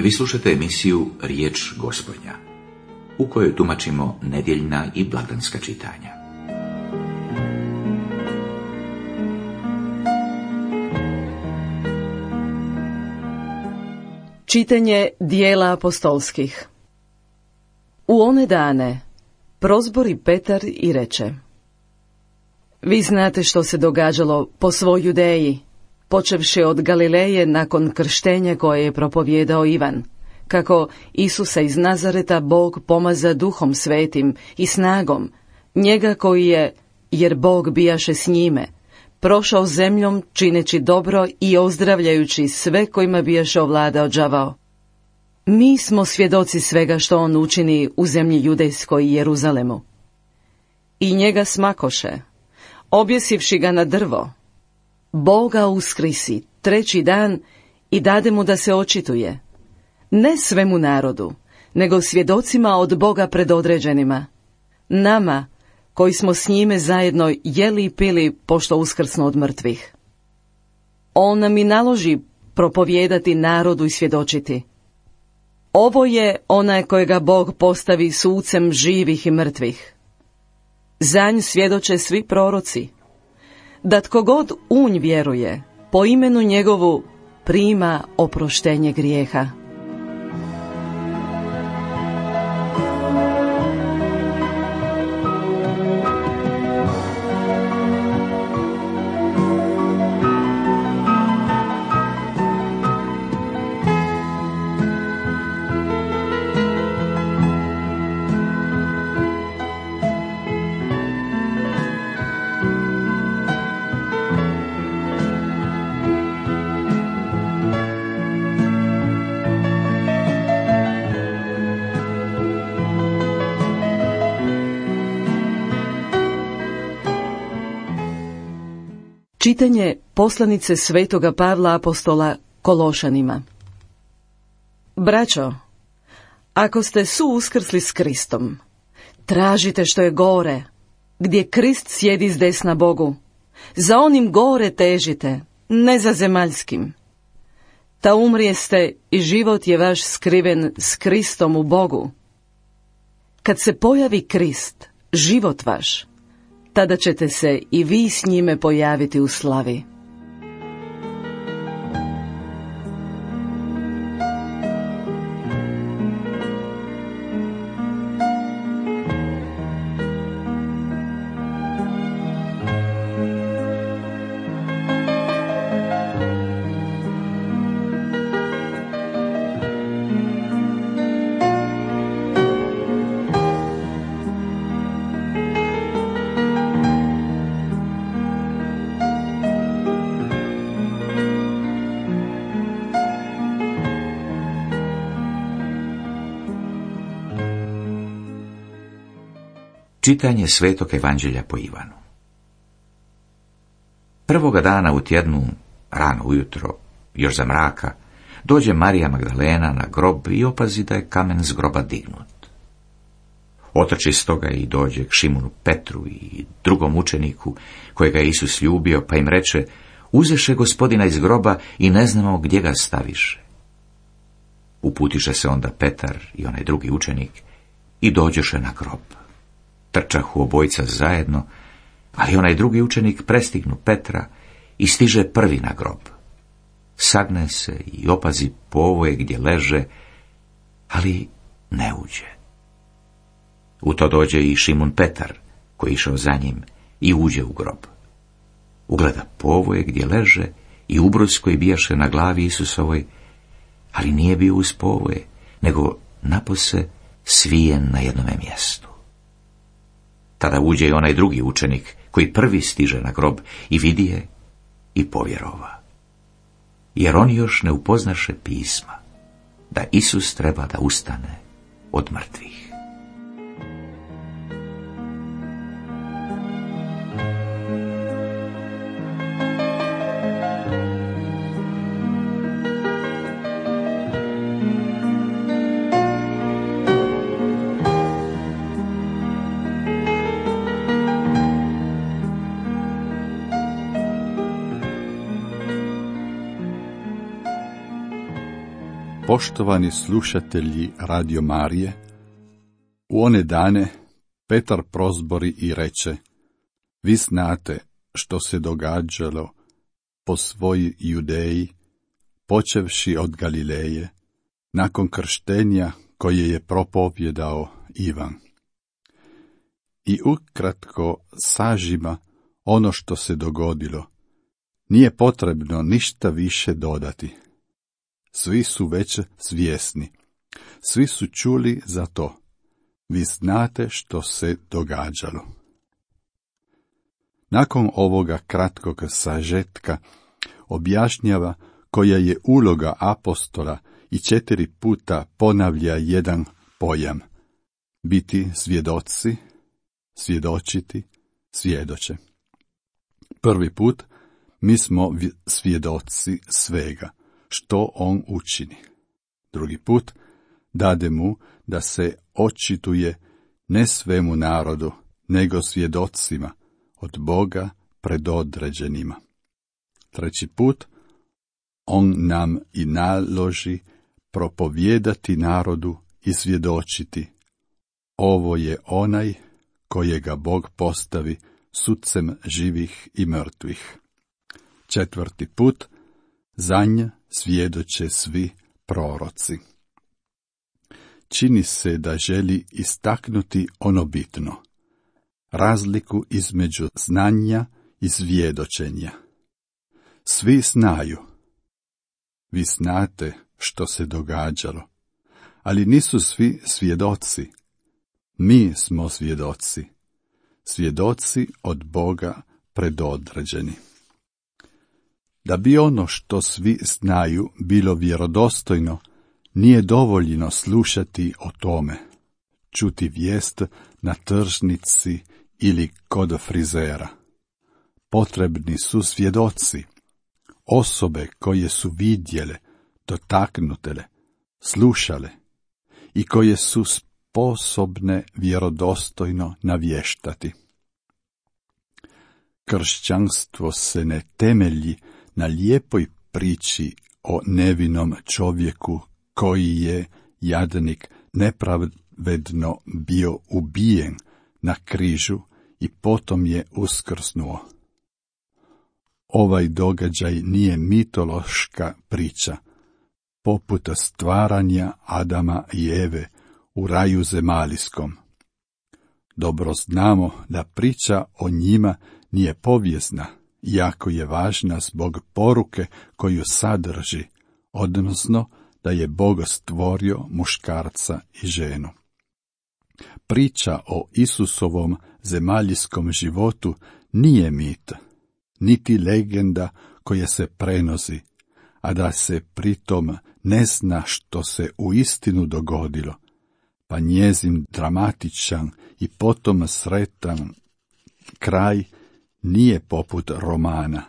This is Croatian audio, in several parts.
Vi slušate emisiju Riječ Gospodnja, u kojoj tumačimo nedjeljna i blagdanska čitanja. Čitanje dijela apostolskih. U one dane prozbori Petar i reče: Vi znate što se događalo po svoj Judeji, počevši od Galileje nakon krštenja koje je propovijedao Ivan, kako Isusa iz Nazareta Bog pomaza Duhom Svetim i snagom, njega koji je, jer Bog bijaše s njime, prošao zemljom čineći dobro i ozdravljajući sve kojima bijaše ovladao đavao. Mi smo svjedoci svega što on učini u zemlji Judejskoj i Jeruzalemu. I njega smakoše, objesivši ga na drvo. Boga uskrisi treći dan i dade mu da se očituje, ne svemu narodu, nego svjedocima od Boga predodređenima, nama koji smo s njime zajedno jeli i pili pošto uskrsnu od mrtvih. On nam i naloži propovijedati narodu i svjedočiti: Ovo je onaj kojega Bog postavi sucem živih i mrtvih. Za nj svjedoče svi proroci, da tko god u nj vjeruje, po imenu njegovu prima oproštenje grijeha. Čitanje poslanice svetoga Pavla apostola Kološanima. Braćo, ako ste suuskrsli s Kristom, tražite što je gore, gdje Krist sjedi s desna Bogu. Za onim gore težite, ne za zemaljskim. Ta umrijeste i život je vaš skriven s Kristom u Bogu. Kad se pojavi Krist, život vaš, tada ćete se i vi s njime pojaviti u slavi. Čitanje Svetog Evanđelja po Ivanu. Prvoga dana u tjednu, rano ujutro, još za mraka, dođe Marija Magdalena na grob i opazi da je kamen s groba dignut. Otrči stoga i dođe k Šimunu Petru i drugom učeniku, kojega je Isus ljubio, pa im reče: Uzeše Gospodina iz groba i ne znamo gdje ga staviše. Uputiše se onda Petar i onaj drugi učenik i dođeše na grob. Trčahu obojica zajedno, ali onaj drugi učenik prestignu Petra i stiže prvi na grob. Sagne se i opazi povoje gdje leže, ali ne uđe. U to dođe i Šimun Petar, koji je išao za njim, i uđe u grob. Ugleda povoje gdje leže i ubrus koji bijaše na glavi Isusovoj, ali nije bio uz povoje, nego napose svijen na jednome mjestu. Tada uđe i onaj drugi učenik, koji prvi stiže na grob i vidi je i povjerova. Jer oni još ne upoznaše pisma, da Isus treba da ustane od mrtvih. Poštovani slušatelji Radio Marije, u one dane Petar prozbori i reče: vi znate što se događalo po svoj Judeji, počevši od Galileje, nakon krštenja koje je propovjedao Ivan. I ukratko sažima ono što se dogodilo. Nije potrebno ništa više dodati. Svi su već svjesni. Svi su čuli za to. Vi znate što se događalo. Nakon ovoga kratkog sažetka objašnjava koja je uloga apostola i 4 puta ponavlja jedan pojam: biti svjedoci, svjedočiti, svjedoče. Prvi put mi smo svjedoci svega što on učini. Drugi put dade mu da se očituje ne svemu narodu, nego svjedocima od Boga predodređenima. Treći put on nam i naloži propovijedati narodu i svjedočiti: ovo je onaj kojega Bog postavi sucem živih i mrtvih. Četvrti put za nj svjedoče svi proroci. Čini se da želi istaknuti ono bitno: razliku između znanja i svjedočenja. Svi znaju. Vi znate što se događalo, ali nisu svi svjedoci. Mi smo svjedoci. Svjedoci od Boga predodređeni. Da bi ono što svi znaju bilo vjerodostojno, nije dovoljno slušati o tome, čuti vijest na tržnici ili kod frizera. Potrebni su svjedoci, osobe koje su vidjele, dotaknutele, slušale i koje su sposobne vjerodostojno navještati. Kršćanstvo se ne temelji na lijepoj priči o nevinom čovjeku koji je, jadnik, nepravedno bio ubijen na križu i potom je uskrsnuo. Ovaj događaj nije mitološka priča, poput stvaranja Adama i Eve u raju zemaljskom. Dobro znamo da priča o njima nije povijesna, iako je važna zbog poruke koju sadrži, odnosno da je Bog stvorio muškarca i ženu. Priča o Isusovom zemaljskom životu nije mit, niti legenda koja se prenosi, a da se pritom ne zna što se uistinu dogodilo, pa njezin dramatičan i potom sretan kraj nije poput romana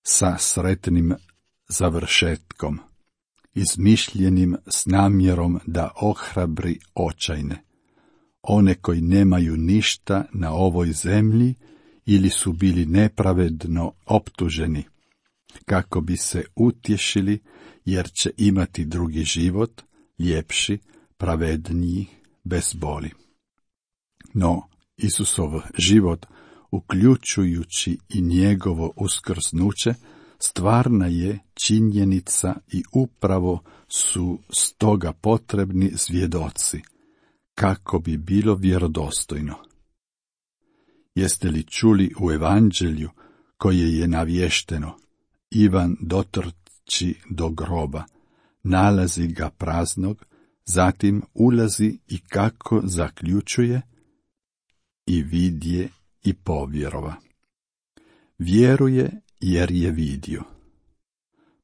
sa sretnim završetkom, izmišljenim s namjerom da ohrabri očajne, one koji nemaju ništa na ovoj zemlji ili su bili nepravedno optuženi, kako bi se utješili jer će imati drugi život, ljepši, pravedniji, bez boli. No, Isusov život, uključujući i njegovo uskrsnuće, stvarna je činjenica i upravo su stoga potrebni svjedoci, kako bi bilo vjerodostojno. Jeste li čuli u evanđelju koje je navješteno? Ivan dotrči do groba, nalazi ga praznog, zatim ulazi i kako zaključuje? I vidje i povjerova. Vjeruje jer je vidio.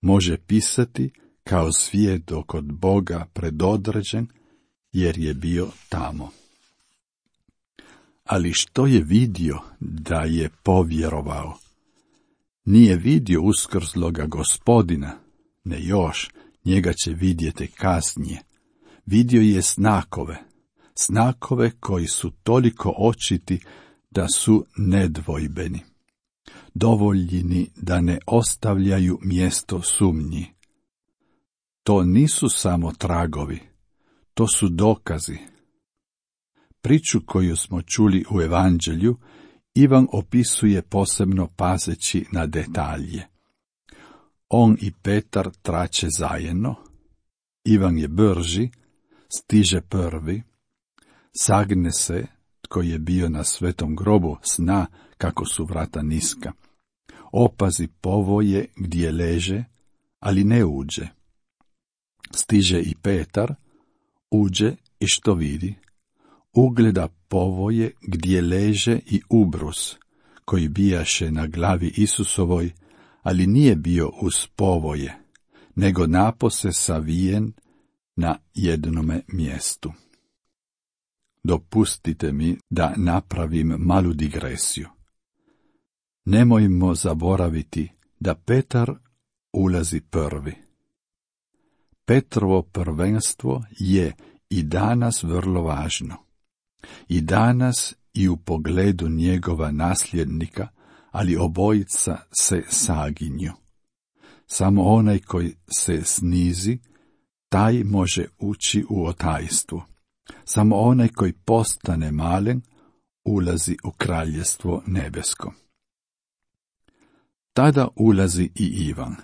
Može pisati kao svjedok od Boga predodređen jer je bio tamo. Ali što je vidio da je povjerovao? Nije vidio uskrsloga Gospodina, ne još, njega će vidjeti kasnije. Vidio je znakove koji su toliko očiti da su nedvojbeni, dovoljni da ne ostavljaju mjesto sumnji. to nisu samo tragovi, to su dokazi. Priču koju smo čuli u Evanđelju, Ivan opisuje posebno pazeći na detalje. On i Petar trače zajedno, Ivan je brži, stiže prvi, sagne se, tko je bio na svetom grobu, zna kako su vrata niska. Opazi povoje gdje leže, ali ne uđe. Stiže i Petar, uđe i što vidi? Ugleda povoje gdje leže i ubrus, koji bijaše na glavi Isusovoj, ali nije bio uz povoje, nego napose savijen na jednome mjestu. Dopustite mi da napravim malu digresiju. Nemojmo zaboraviti da Petar ulazi prvi. Petrovo prvenstvo je i danas vrlo važno. I danas i u pogledu njegova nasljednika, ali obojica se saginju. Samo onaj koji se snizi, taj može ući u otajstvo. Samo onaj koji postane malen, ulazi u kraljestvo nebesko. Tada ulazi i Ivan,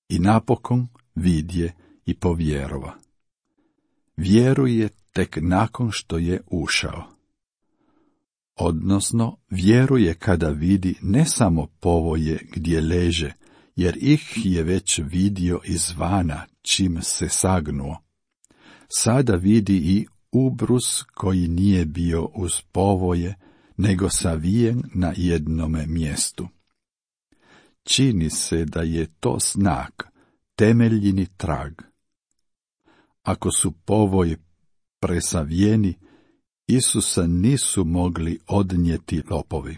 i napokon vidje i povjerova. Vjeruje tek nakon što je ušao. Odnosno, vjeruje kada vidi ne samo povoje gdje leže, jer ih je već vidio izvana čim se sagnuo. Sada vidi i ubrus koji nije bio uz povoje, nego savijen na jednome mjestu. Čini se da je to znak, temeljni trag. Ako su povoji presavijeni, Isusa nisu mogli odnijeti lopovi.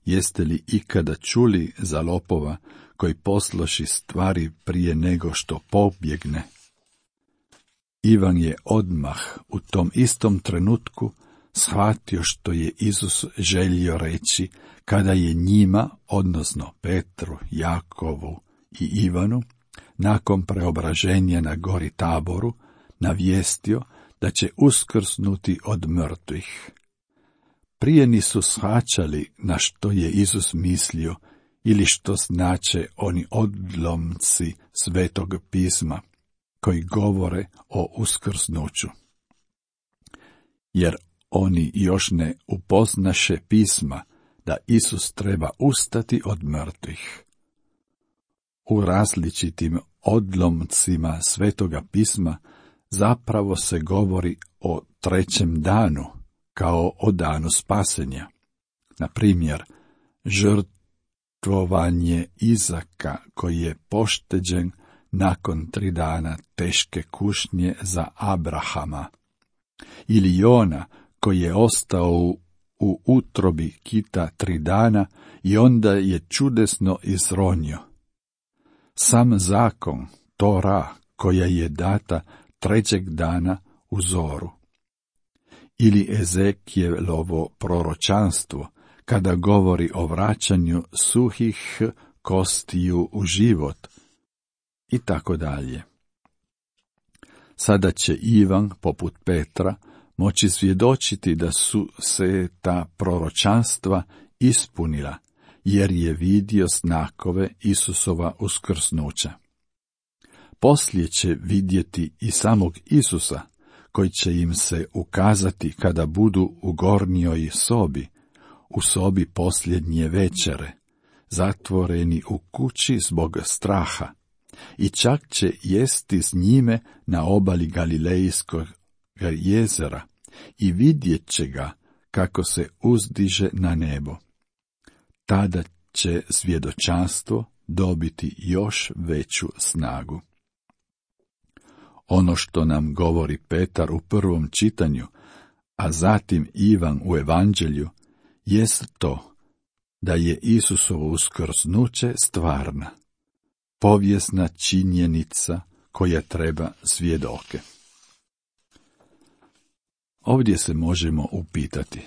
Jeste li ikada čuli za lopova koji posloši stvari prije nego što pobjegne? Ivan je odmah u tom istom trenutku shvatio što je Isus želio reći kada je njima, odnosno Petru, Jakovu i Ivanu, nakon preobraženja na gori Taboru, navijestio da će uskrsnuti od mrtvih. Prije nisu shvaćali na što je Isus mislio ili što znače oni odlomci Svetog pisma koji govore o uskrsnuću. Jer oni još ne upoznaše pisma da Isus treba ustati od mrtvih. U različitim odlomcima Svetoga pisma zapravo se govori o trećem danu, kao o danu spasenja. Na primjer, žrtvovanje Izaka koji je pošteđen nakon 3 dana teške kušnje za Abrahama, ili Jona koji je ostao u utrobi kita 3 dana i onda je čudesno izronio. Sam zakon, Tora, koja je data 3. dana u zoru. Ili Ezekielovo proročanstvo, kada govori o vraćanju suhih kostiju u život, i tako dalje. Sada će Ivan, poput Petra, moći svjedočiti da su se ta proročanstva ispunila, jer je vidio znakove Isusova uskrsnuća. Poslije će vidjeti i samog Isusa, koji će im se ukazati kada budu u gornjoj sobi, u sobi posljednje večere, zatvoreni u kući zbog straha, i čak će jesti s njime na obali Galilejskog jezera i vidjet će ga kako se uzdiže na nebo. Tada će svjedočanstvo dobiti još veću snagu. Ono što nam govori Petar u prvom čitanju, a zatim Ivan u Evanđelju, jest to da je Isusovo uskrsnuće stvarna, povijesna činjenica koja treba svjedoke. Ovdje se možemo upitati,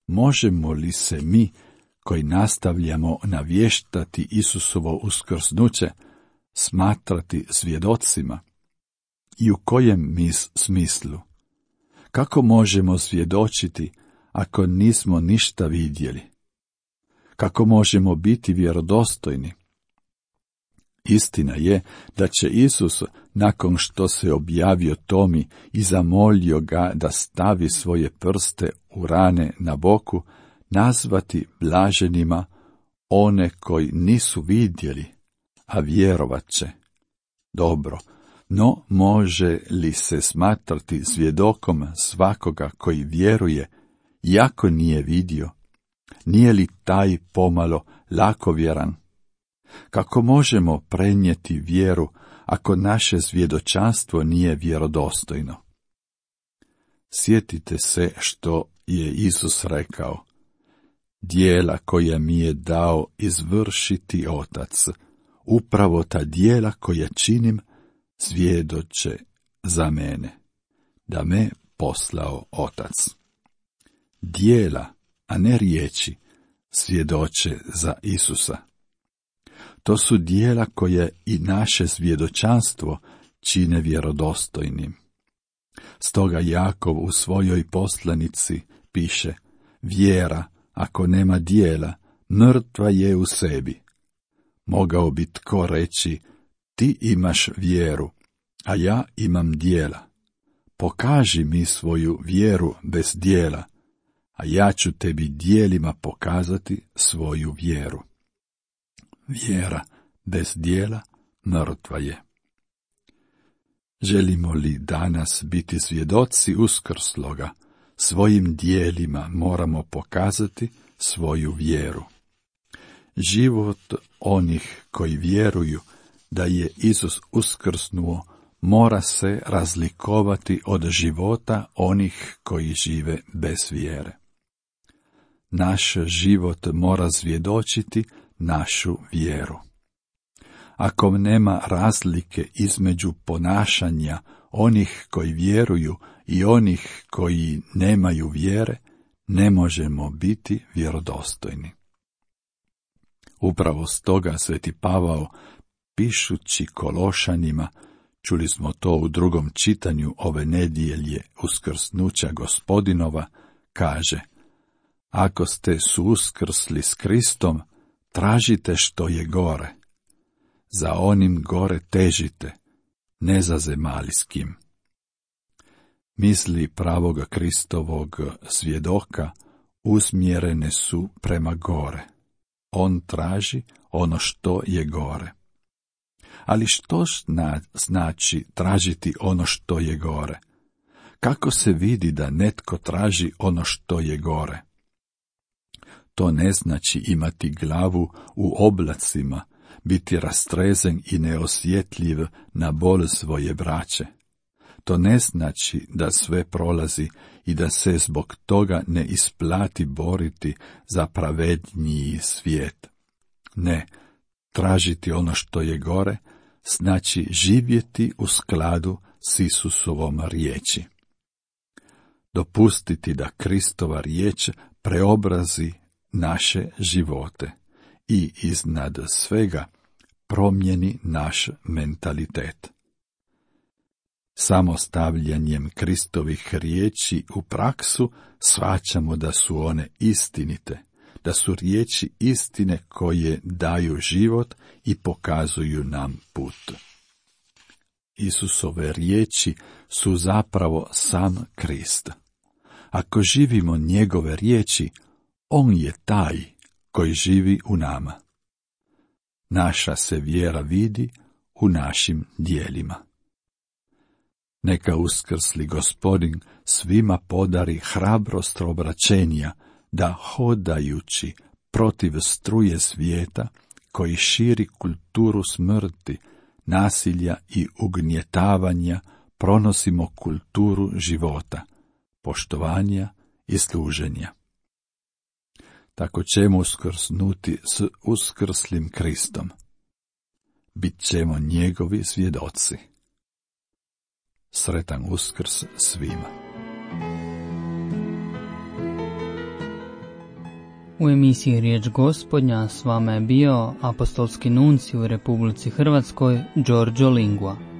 možemo li se mi, koji nastavljamo navještati Isusovo uskrsnuće, smatrati svjedocima? I u kojem smislu? Kako možemo svjedočiti ako nismo ništa vidjeli? Kako možemo biti vjerodostojni? Istina je da će Isus, nakon što se objavio Tomi i zamolio ga da stavi svoje prste u rane na boku, nazvati blaženima one koji nisu vidjeli, a vjerovat će. Dobro, no može li se smatrati svjedokom svakoga koji vjeruje, iako nije vidio? Nije li taj pomalo lakovjeran? Kako možemo prenijeti vjeru ako naše svjedočanstvo nije vjerodostojno? Sjetite se što je Isus rekao: djela koja mi je dao izvršiti Otac, upravo ta djela koja činim, svjedoče za mene, da me poslao Otac. Djela, a ne riječi, svjedoče za Isusa. To su djela koje i naše svjedočanstvo čine vjerodostojnim. Stoga Jakov u svojoj poslanici piše: vjera, ako nema djela, mrtva je u sebi. Mogao bi tko reći: ti imaš vjeru, a ja imam djela. Pokaži mi svoju vjeru bez djela, a ja ću tebi djelima pokazati svoju vjeru. Vjera bez djela mrtva je. Želimo li danas biti svjedoci uskrsloga, svojim djelima moramo pokazati svoju vjeru. Život onih koji vjeruju da je Isus uskrsnuo mora se razlikovati od života onih koji žive bez vjere. Naš život mora svjedočiti našu vjeru. Ako nema razlike između ponašanja onih koji vjeruju i onih koji nemaju vjere, ne možemo biti vjerodostojni. Upravo stoga sveti Pavao, pišući Kološanima, čuli smo to u drugom čitanju ove nedjelje uskrsnuća Gospodinova, kaže: ako ste suskrsli s Kristom, tražite što je gore. Za onim gore težite, ne za zemaljskim. Misli pravoga Kristovog svjedoka usmjerene su prema gore. On traži ono što je gore. Ali što znači tražiti ono što je gore? Kako se vidi da netko traži ono što je gore? To ne znači imati glavu u oblacima, biti rastrezen i neosjetljiv na bol svoje braće. To ne znači da sve prolazi i da se zbog toga ne isplati boriti za pravedniji svijet. Ne, tražiti ono što je gore znači živjeti u skladu s Isusovom riječi. Dopustiti da Kristova riječ preobrazi naše živote i iznad svega promijeni naš mentalitet. Samo stavljanjem Kristovih riječi u praksu shvaćamo da su one istinite, da su riječi istine koje daju život i pokazuju nam put. Isusove riječi su zapravo sam Krist. Ako živimo njegove riječi, on je taj koji živi u nama. Naša se vjera vidi u našim djelima. Neka uskrsli Gospodin svima podari hrabrost obraćenja, da hodajući protiv struje svijeta koji širi kulturu smrti, nasilja i ugnjetavanja, pronosimo kulturu života, poštovanja i služenja. Tako ćemo uskrsnuti s uskrslim Kristom. Bit ćemo njegovi svjedoci. Sretan Uskrs svima. U emisiji Riječ Gospodnja s vama je bio apostolski nunci u Republici Hrvatskoj Đorđo Lingua.